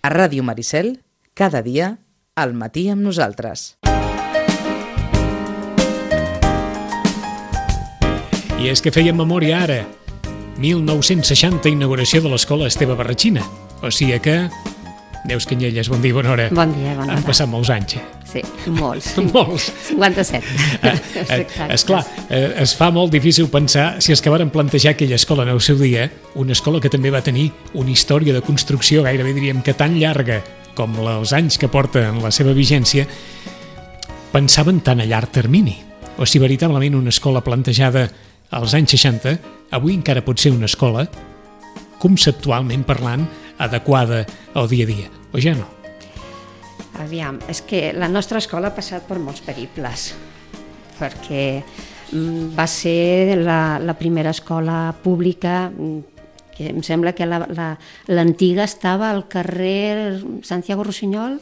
A Ràdio Maricel, cada dia, al matí amb nosaltres. I és que fèiem memòria ara. 1960, inauguració de l'escola Esteve Barratxina. O sigui que... Neus Canyelles, bon dia, bona hora. Bon dia, bona hora. Han passat molts anys. Sí, molts. Molts. 57. Esclar, es fa molt difícil pensar si és que varen plantejar aquella escola en el seu dia, una escola que també va tenir una història de construcció gairebé diríem que tan llarga com els anys que porta en la seva vigència, pensaven tan a llarg termini. O si veritablement una escola plantejada als anys 60, avui encara pot ser una escola, conceptualment parlant, adequada al dia a dia, o ja no? Aviam, és que la nostra escola ha passat per molts periples, perquè va ser la primera escola pública, que em sembla que l'antiga estava al carrer Santiago Rossinyol,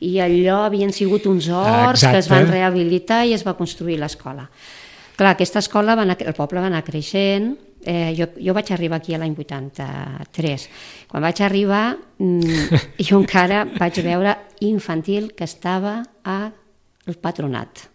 i allò havien sigut uns horts que es van rehabilitar i es va construir l'escola. Clar, aquesta escola, el poble va anar creixent. Jo vaig arribar aquí l'any 83. Quan vaig arribar, jo encara vaig veure infantil que estava al patronat.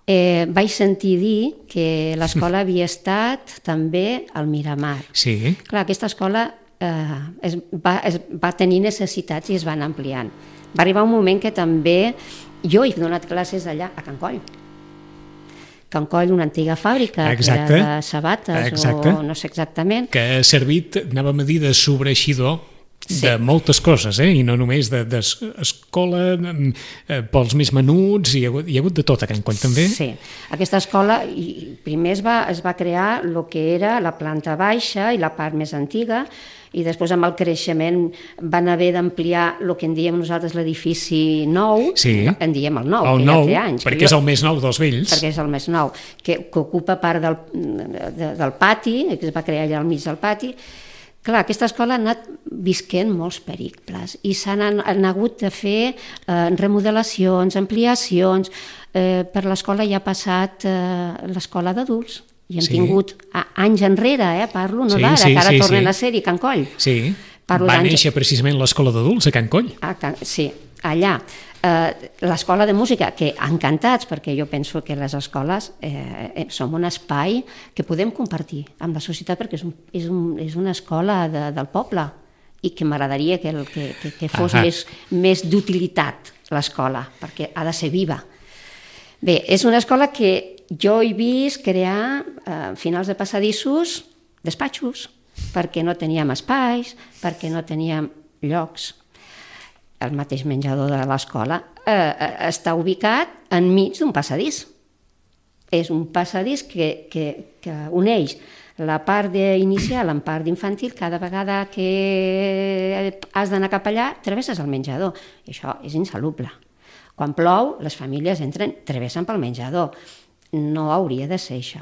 Vaig sentir dir que l'escola havia estat també al Miramar. Sí. Clar, aquesta escola va tenir necessitats i es van ampliant. Va arribar un moment que també jo he donat classes allà a Can Coll. Can Coll, una antiga fàbrica que era de sabates o no sé exactament. Que ha servit, anàvem a dir, de sobreeixidor de moltes coses, i no només d'escola, pels més menuts, hi ha hagut de tot a Can Coll també. Sí, aquesta escola primer es va crear el que era la planta baixa i la part més antiga, i després amb el creixement van haver d'ampliar el que en diem nosaltres l'edifici nou, en diem el nou, que ja té anys. Perquè és el més nou dels vells. Perquè és el més nou, que ocupa part del pati, que es va crear allà al mig del pati. Clar, aquesta escola ha anat visquent molts periples i s'han hagut de fer remodelacions, ampliacions. Per l'escola ja ha passat l'escola d'adults. I hem tingut anys enrere, parlo, no d'ara, que ara tornen a ser-hi, Can Coll. Sí, va néixer precisament l'escola d'adults a Can Coll. Sí, allà. L'escola de música, que encantats, perquè jo penso que les escoles som un espai que podem compartir amb la societat, perquè és una escola del poble i que m'agradaria que fos més d'utilitat l'escola, perquè ha de ser viva. Bé, és una escola que jo he vist crear a finals de passadissos despatxos, perquè no teníem espais, perquè no teníem llocs. El mateix menjador de l'escola està ubicat enmig d'un passadís. És un passadís que uneix la part inicial amb part d'infantil. Cada vegada que has d'anar cap allà, travesses el menjador. I això és insalubre. Quan plou, les famílies travessen pel menjador. No hauria de ser això.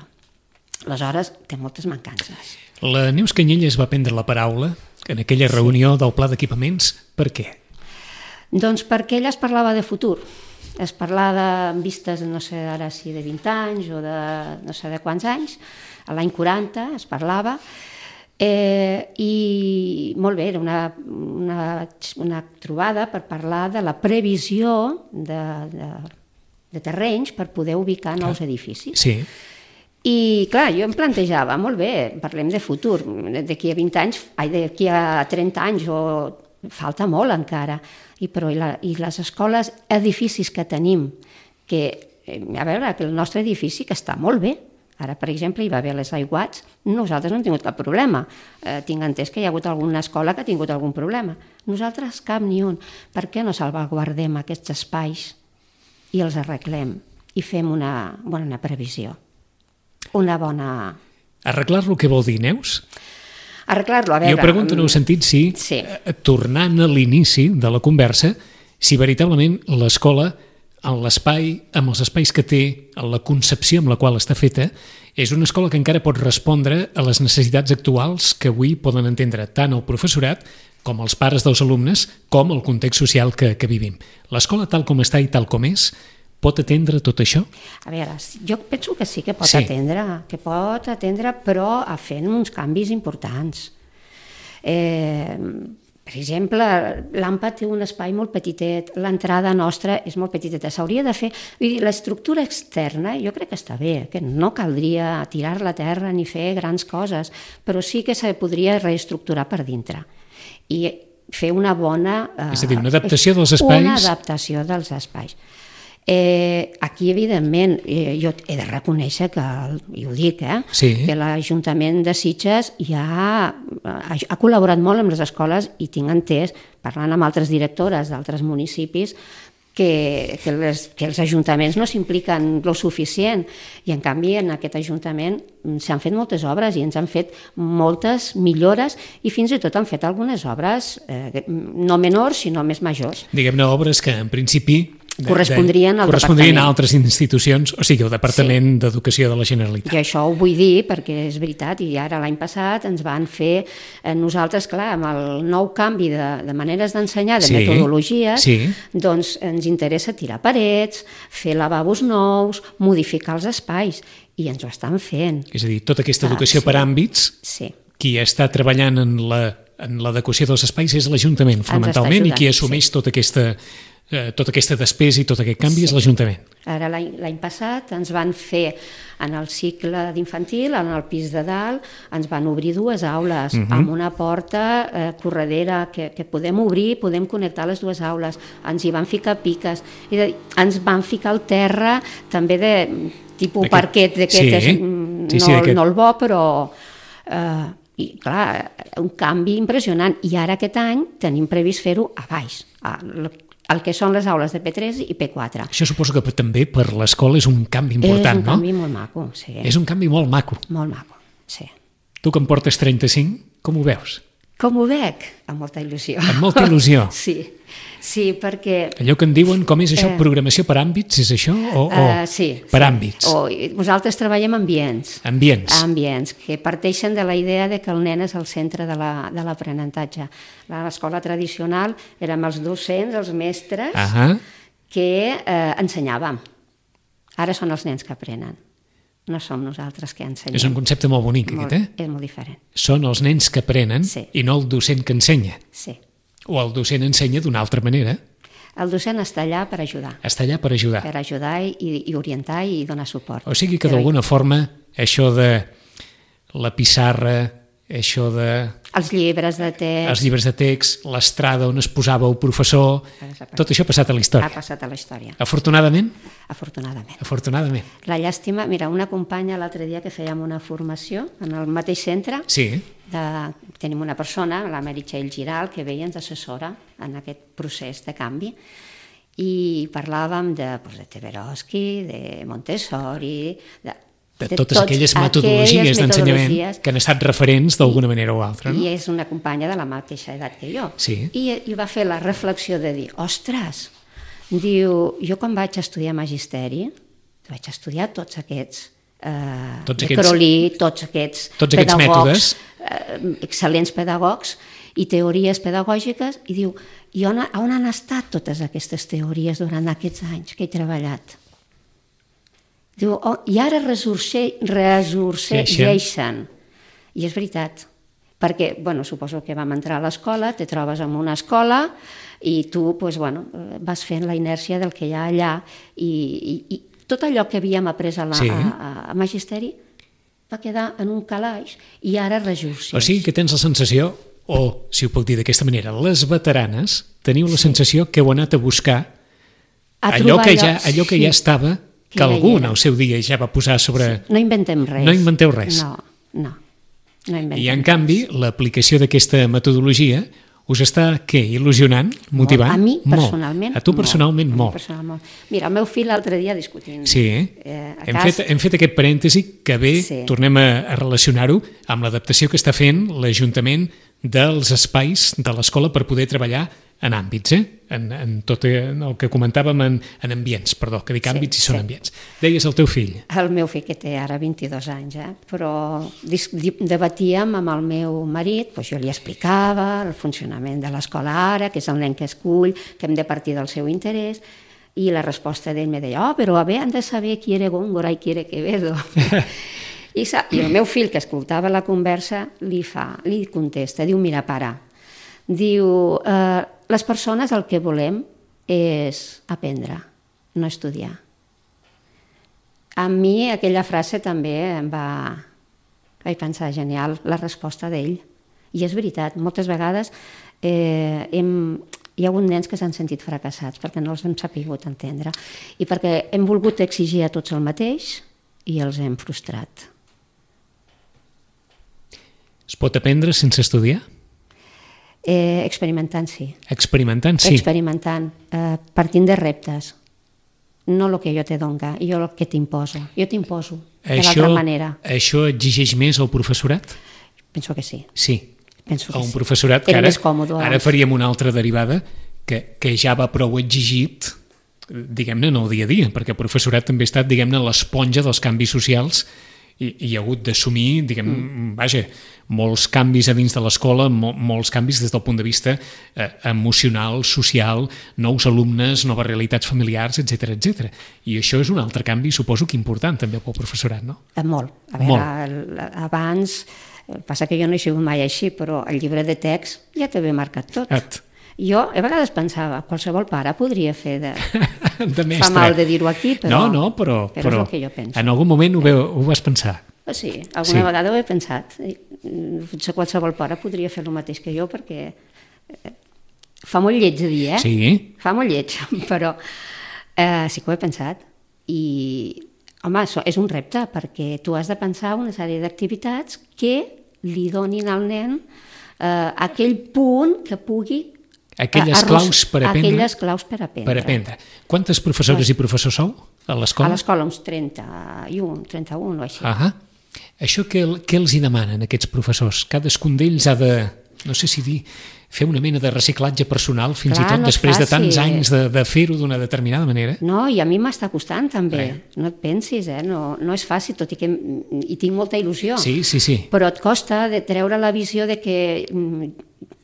Aleshores, té moltes mancances. La Neus Canyelles va prendre la paraula en aquella reunió del pla d'equipaments. Per què? Doncs perquè ella es parlava de futur. Es parlava en vistes, no sé ara si de 20 anys o de no sé de quants anys. A l'any 40 es parlava. I molt bé, era una trobada per parlar de la previsió de terrenys per poder ubicar nous edificis. Sí. I clar, jo em plantejava, molt bé, parlem de futur, d'aquí a 20 anys, d'aquí a 30 anys, o falta molt encara, però i les escoles, edificis que tenim, que a veure, que el nostre edifici que està molt bé. Ara, per exemple, hi va haver les aiguats, nosaltres no hem tingut cap problema. Tinc entès que hi ha hagut alguna escola que ha tingut algun problema. Nosaltres cap ni un. Per què no salvaguardem aquests espais i els arreglem i fem una bona previsió? Una bona... Arreglar-lo què vol dir, Neus? Arreglar-lo, a veure... Jo pregunto en el sentit si, tornant a l'inici de la conversa, si veritablement l'escola, en l'espai, amb els espais que té, en la concepció amb la qual està feta, és una escola que encara pot respondre a les necessitats actuals que avui poden entendre tant el professorat com els pares dels alumnes, com el context social que vivim. L'escola tal com està i tal com és, pot atendre tot això? A veure, jo penso que sí que pot atendre, però fent uns canvis importants. Per exemple, l'AMPA té un espai molt petitet, l'entrada nostra és molt petiteta, s'hauria de fer... Vull dir, l'estructura externa jo crec que està bé, que no caldria tirar-la a terra ni fer grans coses, però sí que se podria reestructurar per dintre. I fer una bona... És a dir, una adaptació dels espais... Una adaptació dels espais. Aquí, evidentment, jo he de reconèixer que, i ho dic, sí, que l'Ajuntament de Sitges ha col·laborat molt amb les escoles i tinc entès, parlant amb altres directores d'altres municipis, que els ajuntaments no s'impliquen lo suficient i en canvi en aquest ajuntament s'han fet moltes obres i ens han fet moltes millores i fins i tot han fet algunes obres no menors sinó més majors. Diguem-ne obres que en principi correspondrien a altres institucions, o sigui, el Departament d'Educació de la Generalitat. I això ho vull dir perquè és veritat, i ara l'any passat ens van fer nosaltres, clar, amb el nou canvi de maneres d'ensenyar, de metodologies, doncs ens interessa tirar parets, fer lavabos nous, modificar els espais, i ens ho estan fent. És a dir, tota aquesta educació per àmbits, qui està treballant en l'adequació dels espais és l'Ajuntament, fonamentalment, i qui assumeix tota aquesta despesa i tot aquest canvi és l'Ajuntament. Ara l'any passat ens van fer en el cicle d'infantil, en el pis de dalt, ens van obrir 2 aules amb una porta corredera que podem obrir, podem connectar les 2 aules, ens hi van ficar piques, ens van ficar al terra també de tipus parquet d'aquest, no el bo, però... I clar, un canvi impressionant, i ara aquest any tenim previst fer-ho a baix, el que són les aules de P3 i P4. Això suposo que també per l'escola és un canvi important, no? És un canvi molt maco, sí. És un canvi molt maco. Molt maco, sí. Tu que en portes 35, com ho veus? Com ho veig? Amb molta il·lusió. Amb molta il·lusió? Sí, perquè... Allò que en diuen, com és això, programació per àmbits, és això? Sí. Per àmbits? Nosaltres treballem ambients. Ambients, que parteixen de la idea de que el nen és el centre de l'aprenentatge. A l'escola tradicional érem els docents, els mestres, que ensenyàvem. Ara són els nens que aprenen. No som nosaltres que ensenyem. És un concepte molt bonic, aquest, És molt diferent. Són els nens que aprenen i no el docent que ensenya. Sí. O el docent ensenya d'una altra manera. El docent està allà per ajudar. Està allà per ajudar. Per ajudar i orientar i donar suport. O sigui que d'alguna forma això de la pissarra, això de... Els llibres de text, l'estrada on es posava el professor, tot això ha passat a la història. Ha passat a la història. Afortunadament? Afortunadament. La llàstima, mira, una companya l'altre dia que fèiem una formació en el mateix centre, tenim una persona, la Meritxell Giral, que ve i ens assessora en aquest procés de canvi, i parlàvem de Teberoski, de Montessori, de totes aquelles metodologies d'ensenyament que han estat referents d'alguna manera o altra. I és una companya de la mateixa edat que jo. I va fer la reflexió de dir, ostres, diu, jo quan vaig estudiar magisteri, vaig estudiar tots aquests Crowley, tots aquests pedagogs, excel·lents pedagogs i teories pedagògiques, i diu, i on han estat totes aquestes teories durant aquests anys que he treballat? Diu, i ara ressorgeixen. I és veritat, perquè, suposo que vam entrar a l'escola, te trobes en una escola i tu, vas fent la inèrcia del que hi ha allà i tot allò que havíem après a magisteri va quedar en un calaix i ara ressorgeix. O sigui que tens la sensació, o si ho puc dir d'aquesta manera, les veteranes teniu la sensació que heu anat a buscar allò que ja estava, que algú en el seu dia ja va posar sobre... No inventem res. No inventeu res. No inventem. I en canvi, l'aplicació d'aquesta metodologia us està, il·lusionant, motivant? A mi personalment. A tu personalment molt. Mira, el meu fill l'altre dia discutint. Sí, hem fet aquest parèntesi que bé, tornem a relacionar-ho amb l'adaptació que està fent l'Ajuntament dels espais de l'escola per poder treballar en àmbits, en tot el que comentàvem en ambients, que dic àmbits i són ambients. Deies el teu fill. El meu fill, que té ara 22 anys, però debatíem amb el meu marit, jo li explicava el funcionament de l'escola ara, que és el nen que escull, que hem de partir del seu interès, i la resposta d'ell me deia, però han de saber qui era Góngora i qui era Quevedo. I el meu fill, que escoltava la conversa, li contesta, diu, mira, pare, Diu, les persones el que volem és aprendre, no estudiar. A mi aquella frase també em va... Vaig pensar, genial, la resposta d'ell. I és veritat, moltes vegades hi ha hagut nens que s'han sentit fracassats perquè no els hem sapigut entendre i perquè hem volgut exigir a tots el mateix i els hem frustrat. Es pot aprendre sense estudiar? Experimentant, sí. Experimentant, sí. Experimentant, partint de reptes. No el que jo te dono, jo el que t'imposo. Jo t'imposo de l'altra manera. Això exigeix més al professorat? Penso que sí. Sí. Penso que a un sí. professorat que ara faríem una altra derivada que ja va prou exigit, diguem-ne, en el dia a dia, perquè el professorat també ha estat, diguem-ne, l'esponja dels canvis socials i hi ha hagut d'assumir, diguem, molts canvis a dins de l'escola, molts canvis des del punt de vista emocional, social, nous alumnes, noves realitats familiars, etc. I això és un altre canvi, suposo que important també pel professorat, no? Molt. A veure, abans, passa que jo no he sigut mai així, però el llibre de text ja t'havia marcat tot. Jo a vegades pensava, qualsevol pare podria fer de mestre. Fa mal de dir-ho aquí, però és el que jo penso. En algun moment ho vas pensar? Sí, alguna vegada ho he pensat. Potser qualsevol pare podria fer el mateix que jo, perquè fa molt lleig de dir, Sí. Fa molt lleig, però sí que ho he pensat. I, home, és un repte, perquè tu has de pensar una sèrie d'activitats que li donin al nen aquell punt que pugui aquelles claus per aprendre. Quantes professores i professors sou a l'escola? A l'escola uns 31 o així. Això què els hi demanen aquests professors? Cadascun d'ells ha de, no sé si dir, fer una mena de reciclatge personal fins i tot després de tants anys de fer-ho d'una determinada manera? No, i a mi m'està costant també. No et pensis, no és fàcil, tot i que hi tinc molta il·lusió. Sí. Però et costa de treure la visió de que...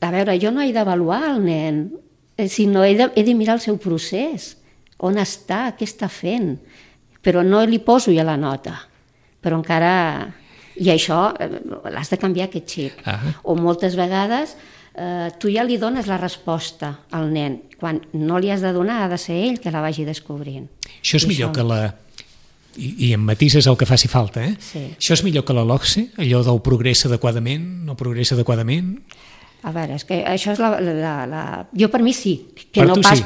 A veure, jo no he d'avaluar el nen, sinó he de mirar el seu procés, on està, què està fent, però no li poso ja la nota, però encara... I això l'has de canviar, aquest xip. O moltes vegades tu ja li dones la resposta al nen, quan no li has de donar, ha de ser ell que la vagi descobrint. Això és millor que la... I en matises el que faci falta, Sí. Això és millor que la LOCSE, allò del progressa adequadament, no progressa adequadament... A veure, és que això és Jo per mi sí. Per tu sí?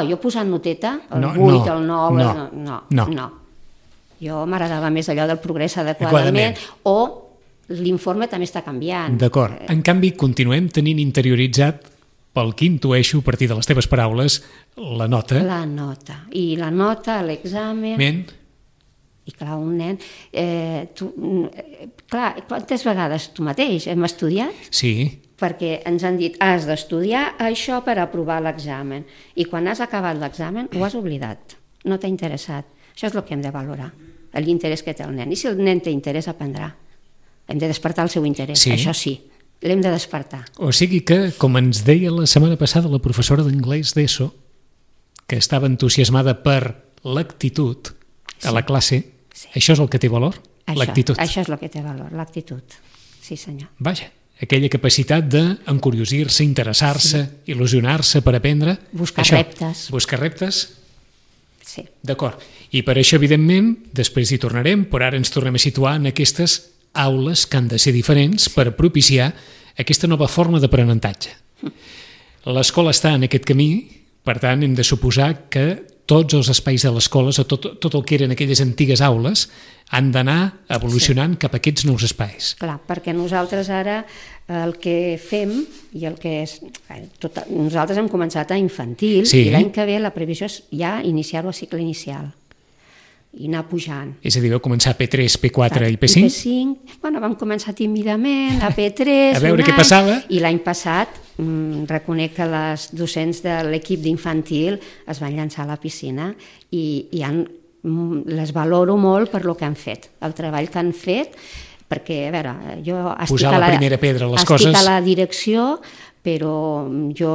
Jo posant noteta, el 8, el 9... No. Jo m'agradava més allò del progrés adequadament o l'informe també està canviant. D'acord. En canvi, continuem tenint interioritzat, pel que intueixo, a partir de les teves paraules, la nota. La nota. I la nota, l'examen... I clar, un nen... Clar, quantes vegades tu mateix hem estudiat? Sí. Perquè ens han dit, has d'estudiar això per aprovar l'examen. I quan has acabat l'examen ho has oblidat, no t'ha interessat. Això és el que hem de valorar, l'interès que té el nen. I si el nen té interès, aprendrà. Hem de despertar el seu interès, això sí, l'hem de despertar. O sigui que, com ens deia la setmana passada la professora d'anglès d'ESO, que estava entusiasmada per l'actitud a la classe, això és el que té valor? L'actitud. Això és el que té valor, l'actitud. Sí, senyor. Vaja. Aquella capacitat d'encuriosir-se, interessar-se, il·lusionar-se per aprendre. Buscar reptes. Buscar reptes? Sí. D'acord. I per això, evidentment, després hi tornarem, però ara ens tornem a situar en aquestes aules que han de ser diferents per propiciar aquesta nova forma d'aprenentatge. L'escola està en aquest camí, per tant, hem de suposar que tots els espais de l'escola, tot el que eren aquelles antigues aules, han d'anar evolucionant cap a aquests nous espais. Clar, perquè nosaltres ara el que fem i el que és... Nosaltres hem començat a infantil i l'any que ve la previsió és ja iniciar-ho a cicle inicial i anar pujant. És a dir, vau començar a P3, P4 i P5? P5, bueno, vam començar tímidament a P3, a veure què passava. I l'any passat reconec que les docents de l'equip d'infantil es van llançar a la piscina i les valoro molt per lo que han fet, el treball que han fet, perquè, a veure, jo estic a la direcció, però jo,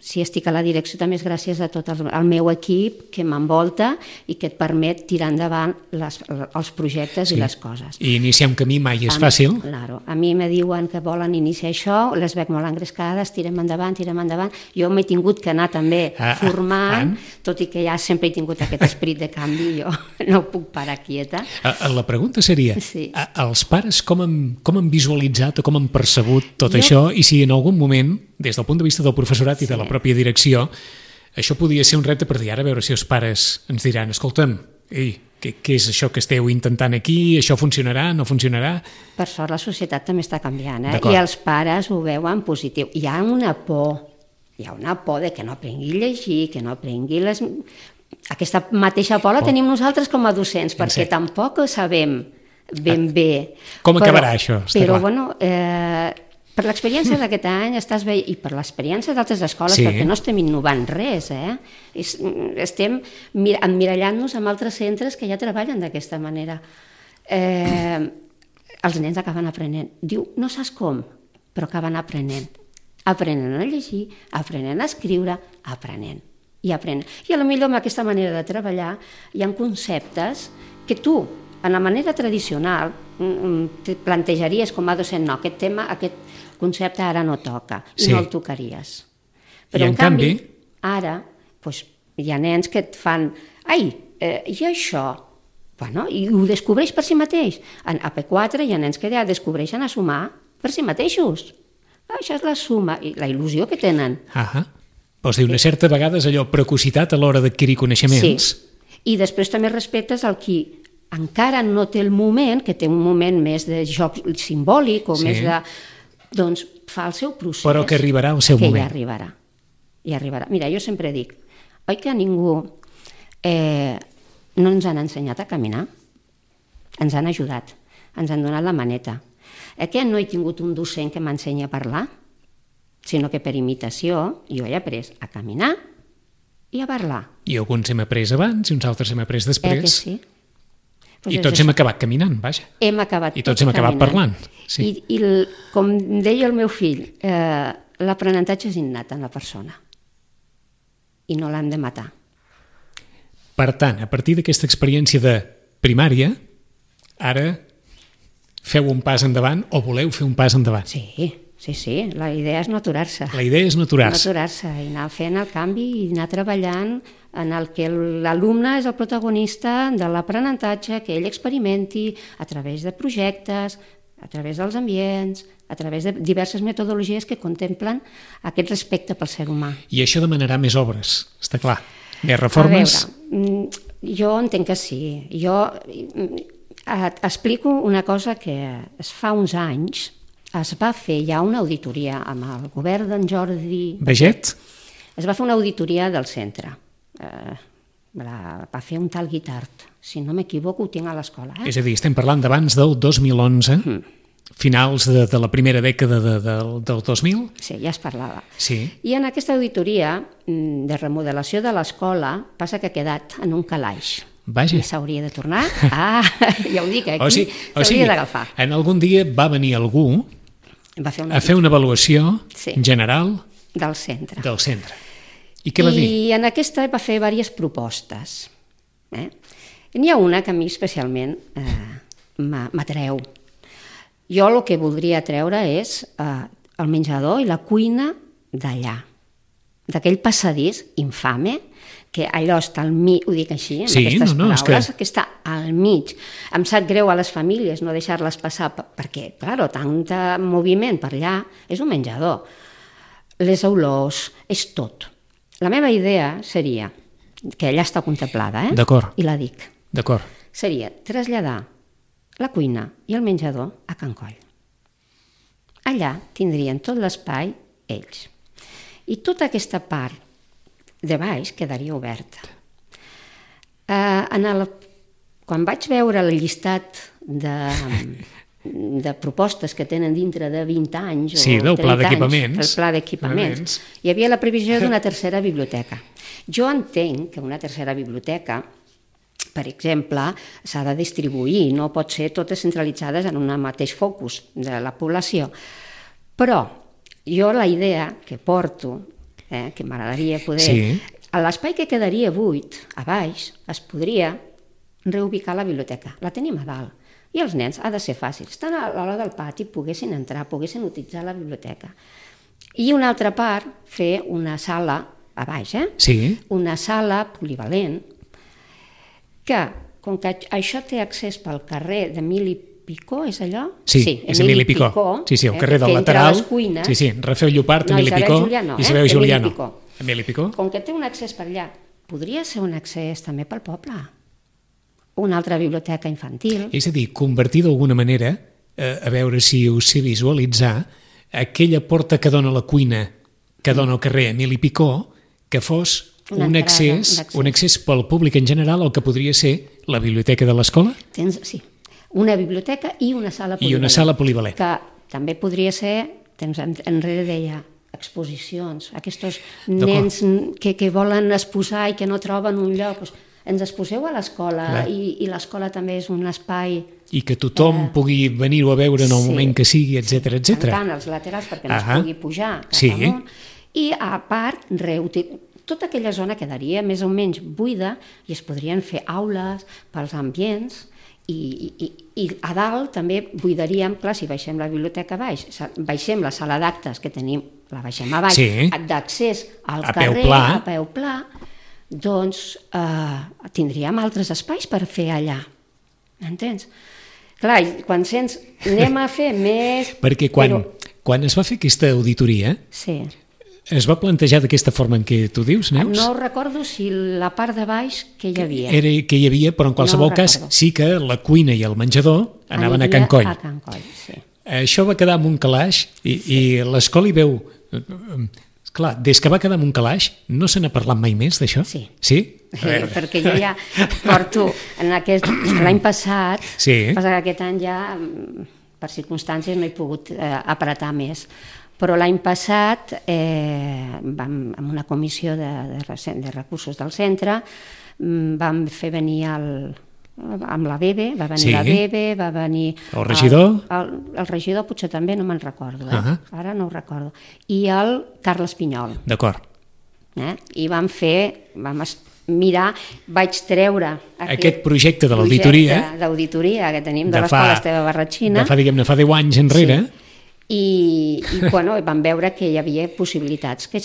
si estic a la direcció, també és gràcies a tot el meu equip que m'envolta i que et permet tirar endavant els projectes i les coses. I iniciar un camí mai és fàcil. Claro. A mi me diuen que volen iniciar això, les veig molt engrescades, tirem endavant. Jo m'he tingut que anar també formant, tot i que ja sempre he tingut aquest esperit de canvi, jo no puc parar quieta. La pregunta seria, els pares com han visualitzat o com han percebut tot això, i si en algun moment, des del punt de vista del professorat i de la pròpia direcció, això podia ser un repte per dir, ara a veure si els pares ens diran, escolta'm, què és això que esteu intentant aquí, això funcionarà, no funcionarà? Per sort la societat també està canviant, i els pares ho veuen positiu. Hi ha una por de que no aprengui a llegir, que no aprengui les... Aquesta mateixa por la tenim nosaltres com a docents, perquè tampoc sabem ben bé. Com acabarà això? Però, bueno, per l'experiència d'aquest any estàs veient, i per l'experiència d'altres escoles, perquè no estem innovant res, estem emmirallant-nos amb altres centres que ja treballen d'aquesta manera. Els nens acaben aprenent. Diu, no saps com, però acaben aprenent. Aprenen a llegir, aprenen a escriure, aprenen. I potser amb aquesta manera de treballar hi ha conceptes que tu, en la manera tradicional, te plantejaries com a docent, no, aquest tema, aquest concepte ara no toca, i no el tocaries. Però en canvi, ara, hi ha nens que et fan, i això? Bueno, i ho descobreix per si mateix. A P4 hi ha nens que ja descobreixen a sumar per si mateixos. Això és la suma, i la il·lusió que tenen. Vols dir, una certa vegada és allò precocitat a l'hora d'adquirir coneixements. Sí, i després també respectes al qui encara no té el moment, que té un moment més de joc simbòlic o més de... Doncs fa el seu procés. Però que arribarà al seu moment. Que ja arribarà. Mira, jo sempre dic, oi que a ningú no ens han ensenyat a caminar? Ens han ajudat, ens han donat la maneta. Que no he tingut un docent que m'ensenyi a parlar, sinó que per imitació jo he après a caminar i a parlar. I alguns hem après abans i uns altres hem après després. Que sí? I tots hem acabat caminant, vaja. I tots hem acabat parlant. I com deia el meu fill, l'aprenentatge és innat en la persona i no l'hem de matar. Per tant, a partir d'aquesta experiència de primària, ara feu un pas endavant o voleu fer un pas endavant? Sí, la idea és no aturar-se. La idea és no aturar-se. No aturar-se i anar fent el canvi i anar treballant en el que l'alumne és el protagonista de l'aprenentatge, que ell experimenti a través de projectes, a través dels ambients, a través de diverses metodologies que contemplen aquest respecte pel ser humà. I això demanarà més obres, està clar. Més reformes? A veure, jo entenc que sí. Jo explico una cosa que es fa uns anys es va fer ja una auditoria amb el govern d'en Jordi Baget. Es va fer una auditoria del centre. Va fer un tal Guitart, si no m'equivoco ho tinc a l'escola. És a dir, estem parlant d'abans del 2011, finals de la primera dècada del 2000? Sí, ja es parlava. Sí. I en aquesta auditoria de remodelació de l'escola passa que ha quedat en un calaix. Vaja. I s'hauria de tornar. Ja ho dic, aquí s'hauria d'agafar. En algun dia va venir algú a fer una avaluació general del centre. I què va dir? I en aquesta va fer diverses propostes. N'hi ha una que a mi especialment m'atreu. Jo el que voldria treure és el menjador i la cuina d'allà, d'aquell passadís infame, que allò està al mig, ho dic així, amb aquestes paraules, que està al mig. Em sap greu a les famílies no deixar-les passar, perquè, clar, tant moviment per allà, és un menjador. Les olors, és tot. La meva idea seria, que allà està contemplada, D'acord. I la dic. D'acord. Seria traslladar la cuina i el menjador a Can Coll. Allà tindrien tot l'espai ells. I tota aquesta part de baix quedaria oberta. Quan vaig veure el llistat de propostes que tenen dintre de 20 anys o 30 del pla d'equipaments, el pla d'equipaments, hi havia la previsió d'una tercera biblioteca. Jo entenc que una tercera biblioteca, per exemple, s'ha de distribuir, no pot ser totes centralitzades en un mateix focus de la població. Però jo la idea que porto, que m'agradaria poder... Sí. A l'espai que quedaria buit, a baix, es podria reubicar la biblioteca. La tenim a dalt. I els nens, ha de ser fàcil, estan a l'hora del pati, poguessin entrar, poguessin utilitzar la biblioteca. I una altra part, fer una sala, a baix, Sí. una sala polivalent, que, com que això té accés pel carrer d'Emili Picó, és allò? Sí, és Emili Picó. Sí, el carrer del lateral. Cuines, sí, Rafael Llopart, no, Emili Picó. Julià no, Isabel Julià Emili no. Picó. Emili Picó. Com que té un accés per allà, podria ser un accés també pel poble. Una altra biblioteca infantil. És a dir, convertir d'alguna manera, a veure si ho sé visualitzar, aquella porta que dona a la cuina, que dona al carrer Emili Picó, que fos un accés pel públic en general al que podria ser la biblioteca de l'escola? Sí, una biblioteca i una sala polivalent. I una sala polivalent. Que també podria ser, temps enrere deia, exposicions, aquests nens que volen exposar i que no troben un lloc, doncs ens exposeu a l'escola i l'escola també és un espai... I que tothom pugui venir-ho a veure en el moment que sigui, etc. Tancant els laterals perquè no es pugui pujar cap amunt. I a part, tota aquella zona quedaria més o menys buida i es podrien fer aules pels ambients i a dalt també buidaríem, clar, si baixem la biblioteca a baix, baixem la sala d'actes que tenim, la baixem a baix, d'accés al carrer, a peu pla, doncs tindríem altres espais per fer allà, m'entens? Clar, quan sents, anem a fer més... Perquè quan es va fer aquesta auditoria, es va plantejar d'aquesta forma en què tu dius, Neus? No recordo si la part de baix que hi havia. Era que hi havia, però en qualsevol cas sí que la cuina i el menjador anaven a Can Coll. A Can Coll, sí. Això va quedar en un calaix i l'escola hi veu... Clar, des que va quedar en un calaix, no se n'ha parlat mai més d'això? Sí. Sí? Perquè jo ja porto l'any passat, passa que aquest any ja per circumstàncies no he pogut apretar més, però l'any passat amb una comissió de recursos del centre vam fer venir amb la Bebe, va venir la Bebe, va venir... El regidor? El regidor potser també, no me'n recordo, ara no ho recordo. I el Carles Pinyol. D'acord. I vam mirar, vaig treure aquest projecte de l'auditoria que tenim de l'escola Esteve Barratxina. De fa 10 anys enrere. I vam veure que hi havia possibilitats, que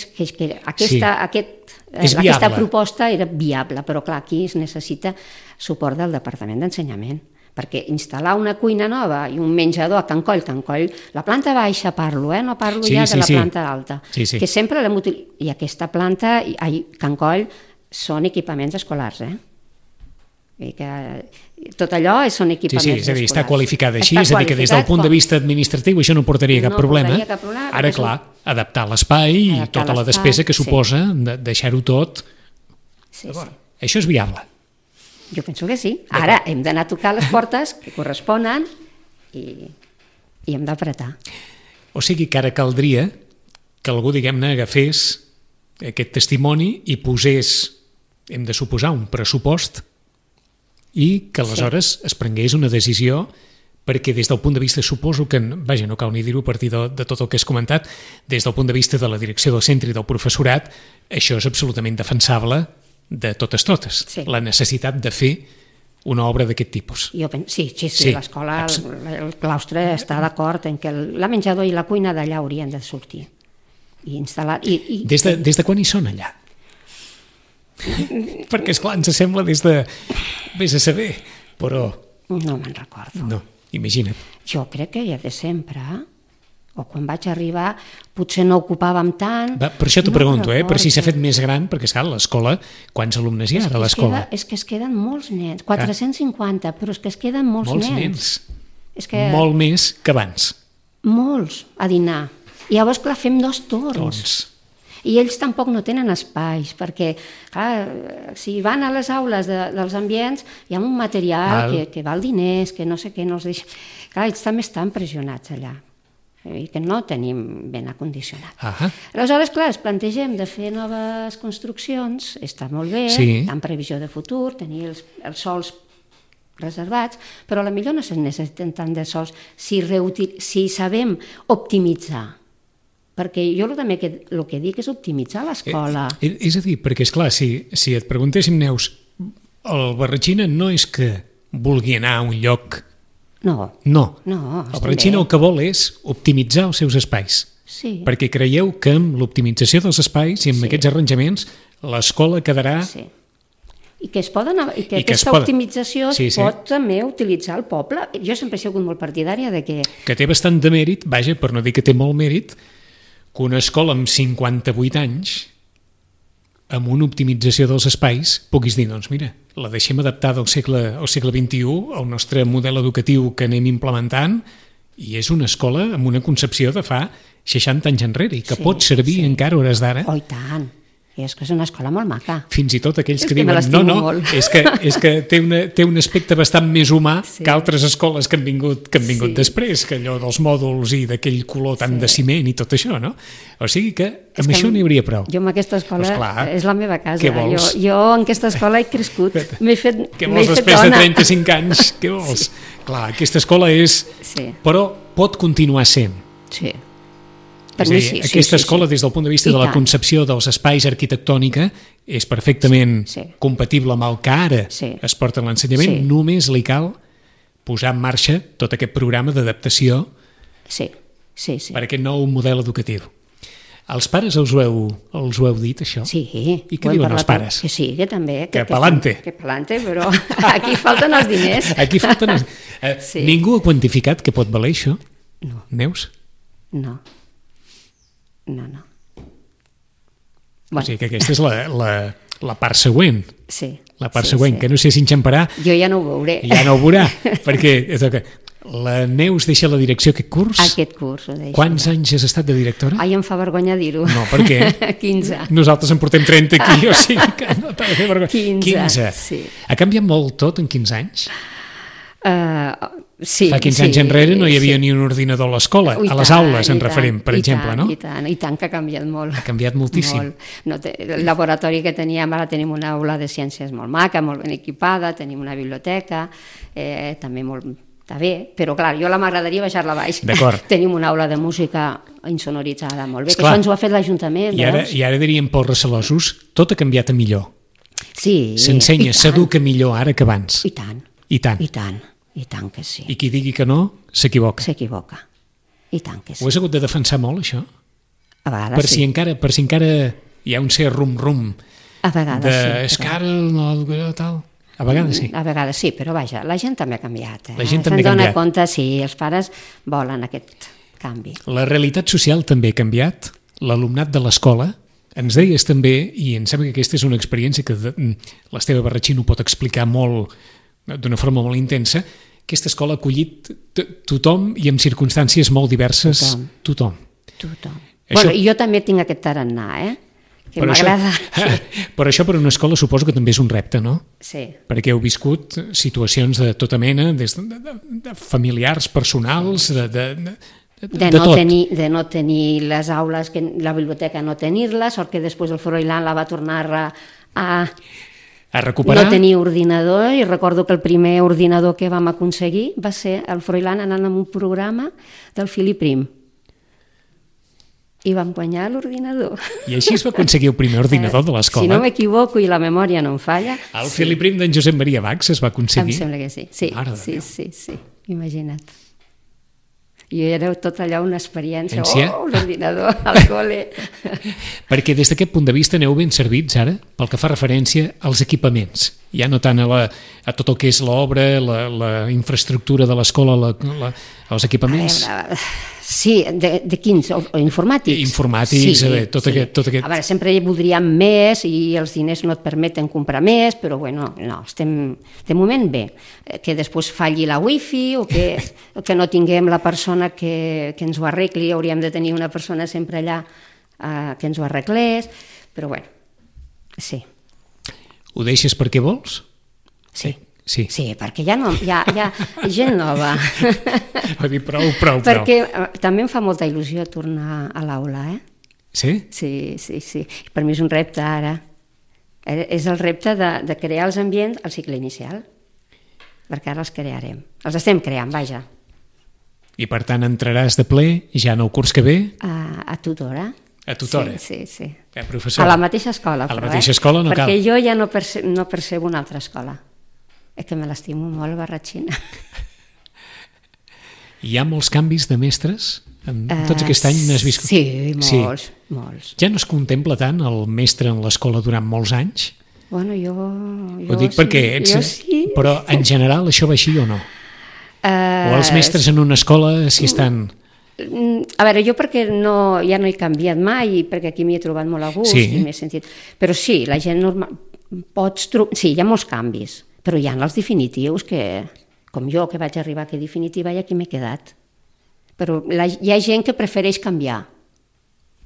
aquesta proposta era viable, però clar, aquí es necessita suport del Departament d'Ensenyament, perquè instal·lar una cuina nova i un menjador a Can Coll, la planta baixa parlo, no parlo ja de la planta alta, que sempre l'hem utilitzat, i aquesta planta, Can Coll, són equipaments escolars, i que tot allò són equipaments escolars. És a dir, està qualificada així, és a dir, que des del punt de vista administratiu això no portaria cap problema. Ara, clar, adaptar l'espai i tota la despesa que suposa deixar-ho tot. Això és viable. Jo penso que sí. Ara hem d'anar a tocar les portes que corresponen i hem d'apretar. O sigui que ara caldria que algú, diguem-ne, agafés aquest testimoni i posés, hem de suposar, un pressupost i que aleshores es prengués una decisió, perquè des del punt de vista, suposo que, vaja, no cal ni dir-ho a partir de tot el que has comentat, des del punt de vista de la direcció del centre i del professorat, això és absolutament defensable de totes. La necessitat de fer una obra d'aquest tipus. Sí, l'escola, el claustre està d'acord en que la menjador i la cuina d'allà haurien de sortir i instal·lar... Des de quan hi són allà? Perquè, esclar, ens sembla des de... Vés a saber, però... No me'n recordo. No, imagina't. Jo crec que ja de sempre, o quan vaig arribar, potser no ocupàvem tant... Per això t'ho pregunto, per si s'ha fet més gran, perquè, esclar, l'escola, quants alumnes hi ha a l'escola? És que es queden molts nens, 450, però és que es queden molts nens. Molt més que abans. Molts, a dinar. I llavors, clar, fem 2 torns. I ells tampoc no tenen espais, perquè, clar, si van a les aules dels ambients, hi ha un material que val diners, que no sé què, no els deixa... Clar, ells també estan pressionats allà, i que no tenim ben acondicionat. Aleshores, clar, es plantegem de fer noves construccions, està molt bé, en previsió de futur, tenir els sols reservats, però potser no se necessiten tant de sols si sabem optimitzar. perquè jo també el que dic és optimitzar l'escola. És a dir, perquè, esclar, si et preguntéssim, Neus, el Barratxina no és que vulgui anar a un lloc... No. El Barratxina el que vol és optimitzar els seus espais. Sí. Perquè creieu que amb l'optimització dels espais i amb aquests arranjaments l'escola quedarà... Sí. I que aquesta optimització es pot també utilitzar el poble. Jo sempre he sigut molt partidària de que... Que té bastant de mèrit, vaja, per no dir que té molt mèrit, que una escola amb 58 anys, amb una optimització dels espais, puguis dir, doncs mira, la deixem adaptada al segle XXI, al nostre model educatiu que anem implementant, i és una escola amb una concepció de fa 60 anys enrere, i que pot servir encara a hores d'ara. Oh, i tant. És que és una escola molt maca. Fins i tot aquells que diuen no, és que té un aspecte bastant més humà que altres escoles que han vingut després, que allò dels mòduls i d'aquell color tan de ciment i tot això, no? O sigui que amb això n'hi hauria prou. Jo amb aquesta escola és la meva casa. Què vols? Jo en aquesta escola he crescut. M'he fet dona. Què vols després de 35 anys? Què vols? Clar, aquesta escola és... Però pot continuar sent. Sí. És a dir, aquesta escola, des del punt de vista de la concepció dels espais arquitectònica, és perfectament compatible amb el que ara es porta en l'ensenyament, només li cal posar en marxa tot aquest programa d'adaptació per aquest nou model educatiu. Els pares els ho heu dit, això? Sí. I què diuen els pares? Que sí, que també. Que pa'lante. Que pa'lante, però aquí falten els diners. Aquí falten els... Ningú ha quantificat què pot valer això? No. Neus? No. Bueno. O sigui que aquesta és la part següent. Sí. La part següent, que no sé si enxamparà. Jo ja no ho veuré. Ja no ho veurà, perquè la Neus deixa la direcció aquest curs. Aquest curs ho deixa. Quants anys has estat de directora? Ai, em fa vergonya dir-ho. No, per què? 15. Nosaltres en portem 30 aquí, o sigui que no t'ha de fer vergonya. 15, sí. Ha canviat molt tot en 15 anys? Sí. Fa 15 anys enrere no hi havia ni un ordinador a l'escola, a les aules en referent, per exemple, no? I tant que ha canviat molt. Ha canviat moltíssim. El laboratori que teníem, ara tenim una aula de ciències molt maca, molt ben equipada, tenim una biblioteca, també molt... Està bé, però clar, jo m'agradaria baixar-la baix. D'acord. Tenim una aula de música insonoritzada molt bé, que això ens ho ha fet l'Ajuntament. I ara diríem pels recelosos, tot ha canviat a millor. Sí. S'ensenya, s'educa millor ara que abans. I tant. I tant. I tant que sí. I qui digui que no, s'equivoca. S'equivoca. I tant que sí. Ho has hagut de defensar molt, això? A vegades sí. Per si encara hi ha un cert rum-rum. A vegades sí. És que ara l'educació tal... A vegades sí. A vegades sí, però vaja, la gent també ha canviat. La gent també ha canviat. Se'n dona compte, sí, els pares volen aquest canvi. La realitat social també ha canviat. L'alumnat de l'escola, ens deies també, i em sembla que aquesta és una experiència que l'Esteve Barratxí ho pot explicar molt, d'una forma molt intensa, aquesta escola ha acollit tothom i en circumstàncies molt diverses. Tothom. Bueno, jo també tinc aquest tarannà, que m'agrada. Però això per una escola suposo que també és un repte, no? Sí. Perquè heu viscut situacions de tota mena, des de familiars, personals, de no tenir les aules, la biblioteca no tenir-la, sort que després el Froilán la va tornar a recuperar. No tenir ordinador, i recordo que el primer ordinador que vam aconseguir va ser el Froilán anant amb un programa del Filip Prim. I vam guanyar l'ordinador. I així es va aconseguir el primer ordinador de l'escola. Si no m'equivoco i la memòria no em falla... El Filip Prim d'en Josep Maria Bach es va aconseguir? Em sembla que sí. Sí. Imagina't. I era tot allò una experiència. L'ordinador al col·le. Perquè des d'aquest punt de vista aneu ben servits ara pel que fa referència als equipaments. Ja no tant a tot el que és l'obra, la infraestructura de l'escola, els equipaments... Sí, de quins? Informàtics? Informàtics, tot aquest... A veure, sempre voldríem més i els diners no et permeten comprar més, però bueno, no, estem de moment bé. Que després falli la wifi o que no tinguem la persona que ens ho arregli, hauríem de tenir una persona sempre allà que ens ho arreglés, però bueno, sí. Ho deixes perquè vols? Sí. Sí, perquè ja gent nova. Va dir prou. Perquè també em fa molta il·lusió tornar a l'aula, Sí? Sí. Per mi és un repte ara. És el repte de crear els ambients al cicle inicial, perquè ara els crearem. Els estem creant, vaja. I per tant entraràs de ple ja en el curs que ve A tutora. a tutora. Sí. Professora. A la mateixa escola. A la mateixa escola no cal. Perquè jo ja no percebo una altra escola. És que me l'estimo molt, Barratxina. Hi ha molts canvis de mestres? En tots aquest any n'has viscut? Sí, molts. Ja no es contempla tant el mestre en l'escola durant molts anys? Bueno, jo Ho dic perquè ets... Jo sí. Però en general això va així o no? O els mestres en una escola si estan... A veure, jo perquè ja no he canviat mai i perquè aquí m'hi he trobat molt a gust i m'he sentit... Però sí, la gent normal... Sí, hi ha molts canvis, però hi ha els definitius que, com jo, que vaig arribar aquí definitiva i aquí m'he quedat. Però hi ha gent que prefereix canviar.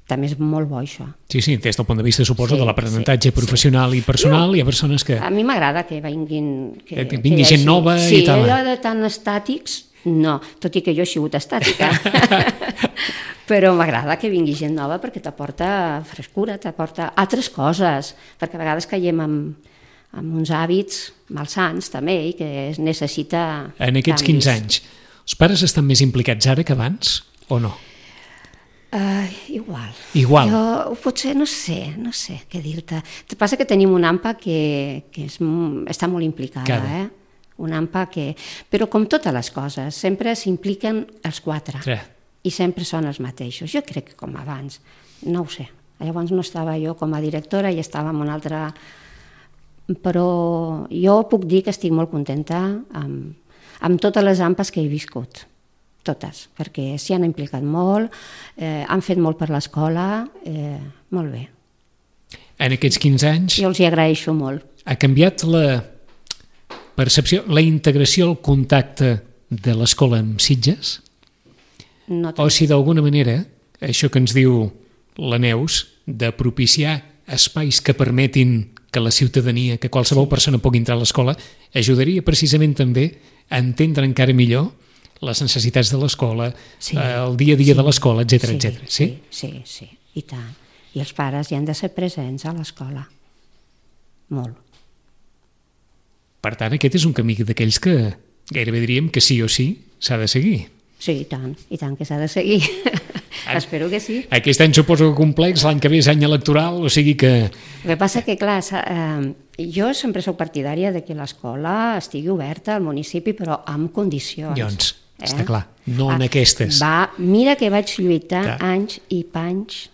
També és molt bo, això. Sí, des del punt de vista, suposo, de l'aprenentatge professional i personal, hi ha persones que... A mi m'agrada que vinguin... Que vingui gent nova i tal. Sí, allò de tan estàtics, no, tot i que jo he sigut estàtica. Però m'agrada que vingui gent nova perquè t'aporta frescura, t'aporta altres coses, perquè a vegades caiem amb uns hàbits malsans també i que es necessita En aquests 15 anys, els pares estan més implicats ara que abans o no? Igual. Jo potser no sé què dir-te. El que passa que tenim una AMPA que està molt implicada, una AMPA que... Però com totes les coses, sempre s'impliquen els 4 i sempre són els mateixos. Jo crec que com abans, no ho sé. Llavors no estava jo com a directora i estava en una altra... Però jo puc dir que estic molt contenta amb totes les AMPAs que he viscut. Totes, perquè s'hi han implicat molt, han fet molt per l'escola, molt bé. En aquests 15 anys... Jo els hi agraeixo molt. Ha canviat la percepció, la integració, el contacte de l'escola amb Sitges? No o si d'alguna manera, això que ens diu la Neus, de propiciar espais que permetin que la ciutadania, que qualsevol persona pugui entrar a l'escola, ajudaria precisament també a entendre encara millor les necessitats de l'escola, el dia a dia de l'escola, etc. Sí, i tant. I els pares hi han de ser presents a l'escola. Molt. Per tant, aquest és un camí d'aquells que gairebé diríem que sí o sí s'ha de seguir. Sí, i tant que s'ha de seguir. Espero que sí. Aquest any suposo que complex, l'any que ve és any electoral, o sigui que... El que passa que, clar, jo sempre soc partidària de que l'escola estigui oberta al municipi, però amb condicions. Doncs, està clar, no en aquestes. Mira que vaig lluitar anys i panys,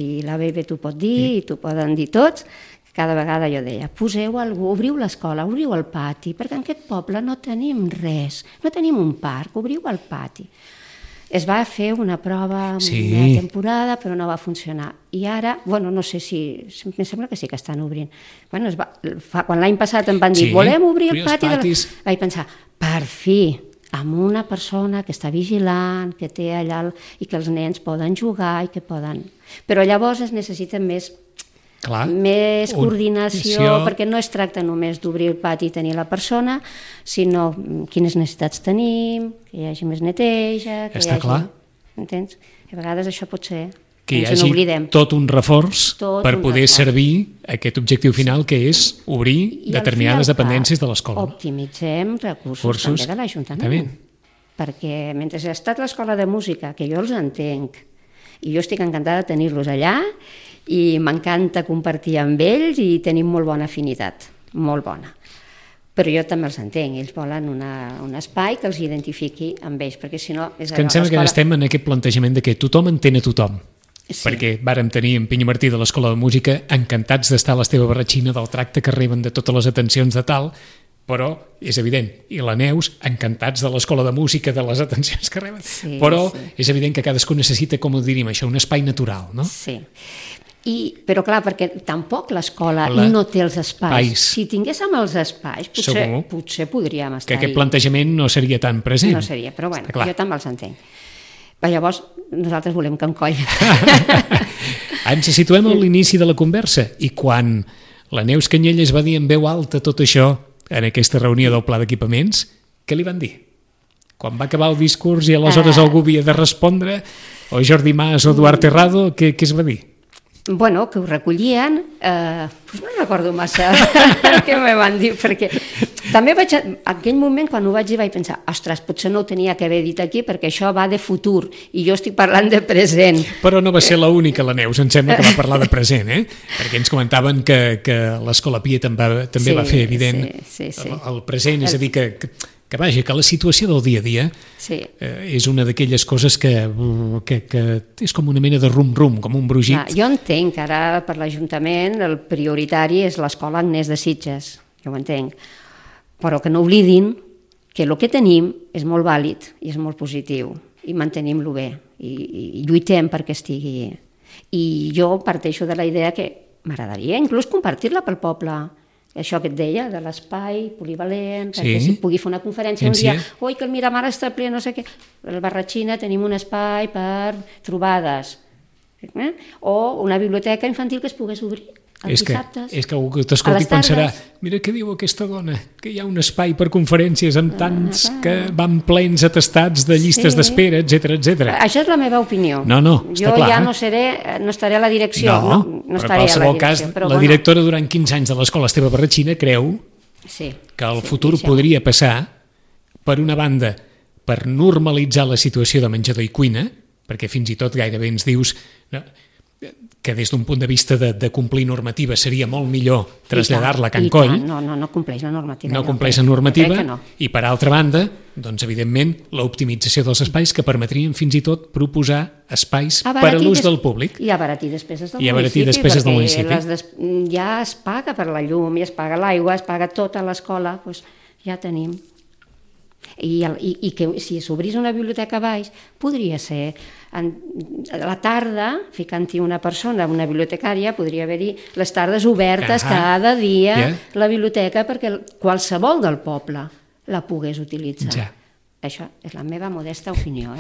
i la Bebe t'ho pot dir, i t'ho poden dir tots, cada vegada jo deia, poseu algú, obriu l'escola, obriu el pati, perquè en aquest poble no tenim res, no tenim un parc, obriu el pati. Es va fer una prova una temporada, però no va funcionar. I ara, no sé si... Em sembla que sí que estan obrint. Quan l'any passat em van dir, volem obrir el pati... Vaig pensar, per fi, amb una persona que està vigilant, que té allà... i que els nens poden jugar i que poden... Però llavors es necessita més coordinació, perquè no es tracta només d'obrir el pati i tenir la persona, sinó quines necessitats tenim, que hi hagi més neteja... Està clar. Entens? A vegades això pot ser... Que hi hagi tot un reforç per poder servir aquest objectiu final, que és obrir determinades dependències de l'escola. Optimitzem recursos també de l'Ajuntament. Perquè mentre ha estat l'escola de música, que jo els entenc, i jo estic encantada de tenir-los allà, i m'encanta compartir amb ells i tenim molt bona afinitat, molt bona. Però jo també els entenc, ells volen un espai que els identifiqui amb ells, perquè si no... Que em sembla que estem en aquest plantejament de que tothom entén a tothom, perquè vàrem tenir en Pinyo Martí de l'Escola de Música encantats d'estar a l'Esteve Barratxina, del tracte que reben, de totes les atencions de tal, però és evident, i la Neus, encantats de l'Escola de Música, de les atencions que reben, però és evident que cadascú necessita, com ho diríem això, un espai natural, no? Sí. Però clar, perquè tampoc l'escola no té els espais. Si tinguéssim els espais, potser podríem estar-hi. Que aquest plantejament no seria tan present. No seria, però bueno, jo també els entenc. Però llavors nosaltres volem Can Coll. Ens situem a l'inici de la conversa i quan la Neus Canyelles va dir en veu alta tot això en aquesta reunió del pla d'equipaments, què li van dir? Quan va acabar el discurs i aleshores algú havia de respondre, o Jordi Mas o Eduard Terrado, què es va dir? Bueno, que ho recollien, no recordo massa què me van dir, perquè També en aquell moment, quan ho vaig dir, vaig pensar, ostres, potser no ho tenia que haver dit aquí perquè això va de futur i jo estic parlant de present. Però no va ser l'única, la Neus, em sembla que va parlar de present, perquè ens comentaven que l'Escola Pia també va fer evident el present, és a dir, que vaja, que la situació del dia a dia és una d'aquelles coses que és com una mena de rum-rum, com un brugit. Jo entenc que ara per l'Ajuntament el prioritari és l'Escola Agnès de Sitges, jo ho entenc, però que no oblidin que el que tenim és molt vàlid i és molt positiu i mantenim-lo bé i lluitem perquè estigui. I jo parteixo de la idea que m'agradaria inclús compartir-la pel poble. Això que et deia, de l'espai polivalent, perquè si pugui fer una conferència un dia, oi, que el Miramar està ple, no sé què. Al Barratxina tenim un espai per trobades. O una biblioteca infantil que es pogués obrir els dissabtes. És que algú que t'escolti pensarà, mira què diu aquesta dona, que hi ha un espai per conferències amb tants que van plens atestats de llistes d'espera, etc. Això és la meva opinió. No, està clar. Jo ja no estaré a la direcció. No estaré a la qualsevol cas, la directora durant 15 anys de l'Escola Esteve Barratxina creu que el futur podria passar, per una banda, per normalitzar la situació de menjador i cuina, perquè fins i tot gairebé ens dius que des d'un punt de vista de complir normativa seria molt millor traslladar-la a Can Coll. No compleix la normativa. No compleix la normativa i, per altra banda, doncs, evidentment, l'optimització dels espais que permetrien fins i tot proposar espais per a l'ús del públic. I abaratir despeses del municipi, perquè ja es paga per la llum, ja es paga l'aigua, es paga tota l'escola, doncs ja tenim. I que si s'obrís una biblioteca a baix podria ser a la tarda, ficant-hi una persona, una bibliotecària, podria haver-hi les tardes obertes cada dia la biblioteca perquè qualsevol del poble la pogués utilitzar. Això és la meva modesta opinió.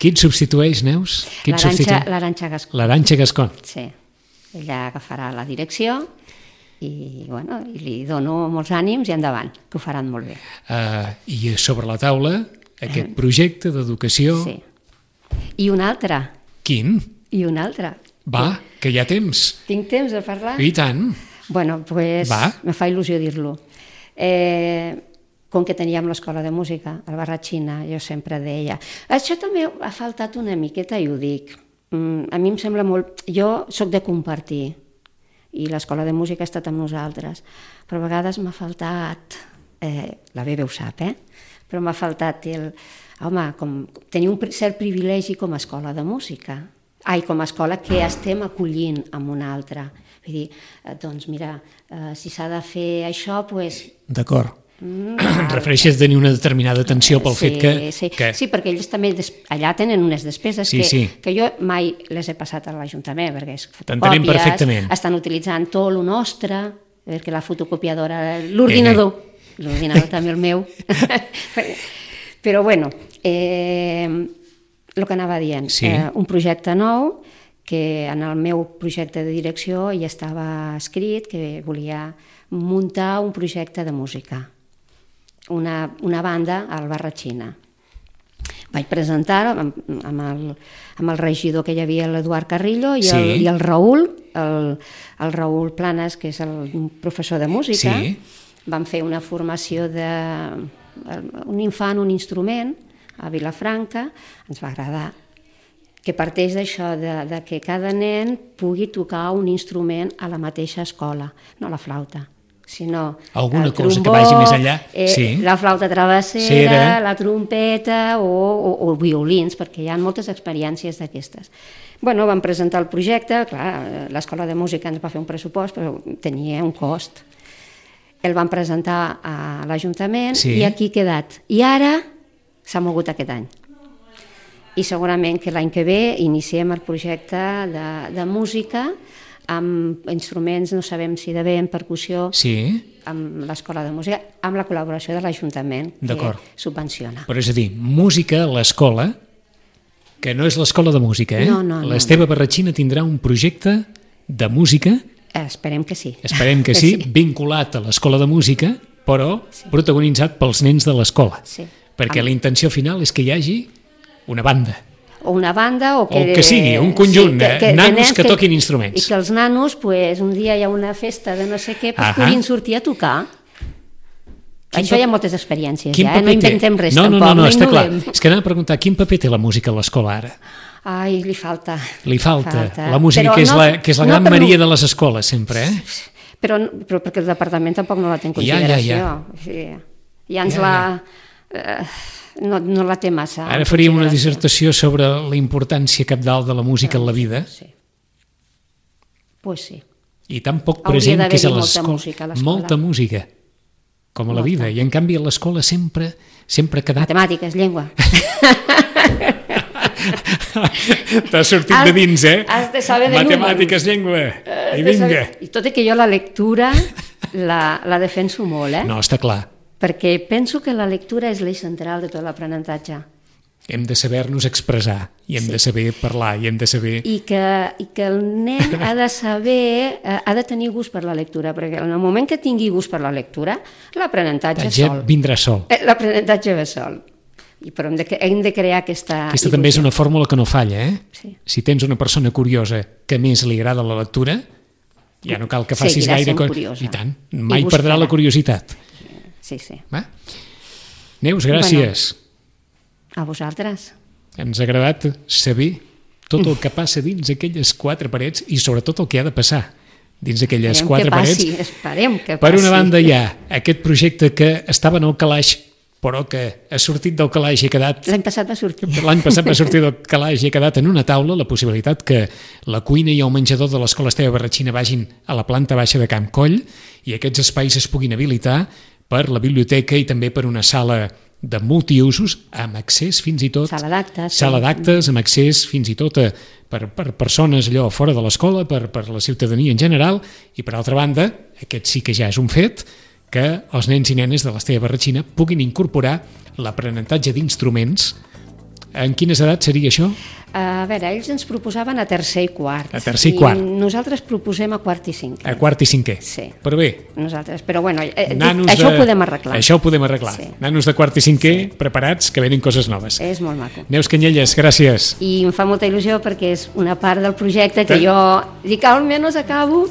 Qui et substitueix, Neus? L'Arantxa Gascon. L'Arantxa Gascon. Sí, ella agafarà la direcció i li dono molts ànims i endavant, que ho faran molt bé. I sobre la taula aquest projecte d'educació... Sí. I un altre. Quin? I un altre. Va, que hi ha temps. Tinc temps de parlar? I tant. Bueno, doncs me fa il·lusió dir-lo. Com que teníem l'escola de música, al Barratxina, jo sempre deia... Això també ha faltat una miqueta i ho dic. A mi em sembla molt... Jo sóc de compartir i l'escola de música ha estat amb nosaltres, però a vegades m'ha faltat, la Bebe ho sap, però m'ha faltat tenir un cert privilegi com a escola de música, com a escola que estem acollint amb una altra. Vull dir, doncs mira, si s'ha de fer això, doncs... D'acord. Refereixes a tenir una determinada atenció pel fet que... Sí, perquè ells també allà tenen unes despeses que jo mai les he passat a l'Ajuntament, perquè és fotocòpies, estan utilitzant tot el nostre, perquè la fotocopiadora, l'ordinador també el meu. Però bueno, el que anava dient, un projecte nou, que en el meu projecte de direcció ja estava escrit que volia muntar un projecte de música. Una banda al Barratxina. Vaig presentar-ho amb el regidor que hi havia, l'Eduard Carrillo, i el Raül, el Raül Planes, que és un professor de música. Vam fer una formació d'un infant, un instrument, a Vilafranca. Ens va agradar, que parteix d'això, de que cada nen pugui tocar un instrument a la mateixa escola, no la flauta, sinó alguna el cosa trombó, que vagi més enllà, la flauta travessera, la trompeta o violins, perquè hi ha moltes experiències d'aquestes. Bueno, vam presentar el projecte, clar, l'escola de música ens va fer un pressupost, però tenia un cost. El vam presentar a l'Ajuntament i aquí ha quedat. I ara s'ha mogut aquest any. I segurament que l'any que ve iniciem el projecte de música amb instruments, no sabem si de vent, percussió, amb l'escola de música, amb la col·laboració de l'Ajuntament, que subvenciona. Però és a dir, música a l'escola, que no és l'escola de música, l'Esteve Barratxina tindrà un projecte de música... Esperem que sí. Esperem que sí, vinculat a l'escola de música, però protagonitzat pels nens de l'escola. Perquè la intenció final és que hi hagi una banda. O una banda o que sigui, un conjunt de nanos que toquin instruments. I que els nanos, un dia hi ha una festa de no sé què, puguin sortir a tocar. Això hi ha moltes experiències, Quin ja, paper no inventem res té? tampoc, No, està clar. innovem. És que anava a preguntar, quin paper té la música a l'escola ara? Ai, li falta. Li falta. La música, Però que és la gran Maria de les escoles, sempre, eh? Però perquè el departament tampoc no la té en consideració. Sí. Ja ens no la té massa. Ara faríem una dissertació sobre la importància cabdal de la música en la vida. Sí. Pues sí. I tan poc Hauria present que és a d'haver-hi molta l'escola. música a l'escola. Molta música, com a la vida. I en canvi a l'escola sempre ha quedat... Matemàtiques, llengua. T'ha sortit de dins, eh? Has de saber de Matemàtiques, llengua, i vinga. I tot i que jo la lectura la defenso molt, No, està clar. Perquè penso que la lectura és l'eix central de tot l'aprenentatge. Hem de saber-nos expressar, i hem de saber parlar, i hem de saber... I que el nen ha de saber, ha de tenir gust per la lectura, perquè en el moment que tingui gust per la lectura, l'aprenentatge sol. Vindrà sol. L'aprenentatge ve sol. Però hem de crear aquesta... Aquesta també és una fórmula que no falla, eh? Sí. Si tens una persona curiosa que més li agrada la lectura, ja no cal que facis gaire cosa. I tant, mai perdrà la curiositat. Sí, sí. Va? Neus, gràcies. A vosaltres. Ens ha agradat saber tot el que passa dins aquelles quatre parets i sobretot el que ha de passar dins aquelles quatre parets. Esperem que passi. Per una banda hi ha aquest projecte que estava en el calaix però que ha sortit del calaix i ha quedat... L'any passat va sortir. L'any passat va sortir del calaix i ha quedat en una taula la possibilitat que la cuina i el menjador de l'Escola Esteve Barratxina vagin a la planta baixa de Camp Coll i aquests espais es puguin habilitar per la biblioteca i també per una sala de multiusos amb accés fins i tot... Sala d'actes. Sala d'actes amb accés fins i tot per persones allò fora de l'escola, per la ciutadania en general i per altra banda, aquest sí que ja és un fet, que els nens i nenes de l'Esteve Barratxina puguin incorporar l'aprenentatge d'instruments. En quines edats seria això? A veure, ells ens proposaven a tercer i quart. A tercer i quart. I nosaltres proposem a quart i cinquè. A quart i cinquè. Sí. Però bé. Nosaltres, però bueno, això ho podem arreglar. Això ho podem arreglar. Sí. Nanos de quart i cinquè preparats, que venen coses noves. És molt maco. Neus Canyelles, gràcies. I em fa molta il·lusió perquè és una part del projecte que jo dic, almenys acabo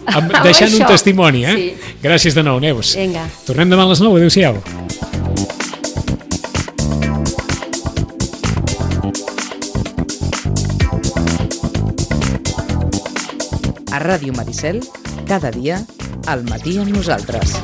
deixant un testimoni, eh? Sí. Gràcies de nou, Neus. Vinga. Tornem demà a les 9. Adéu-siau. A Ràdio Maricel, cada dia, al matí amb nosaltres.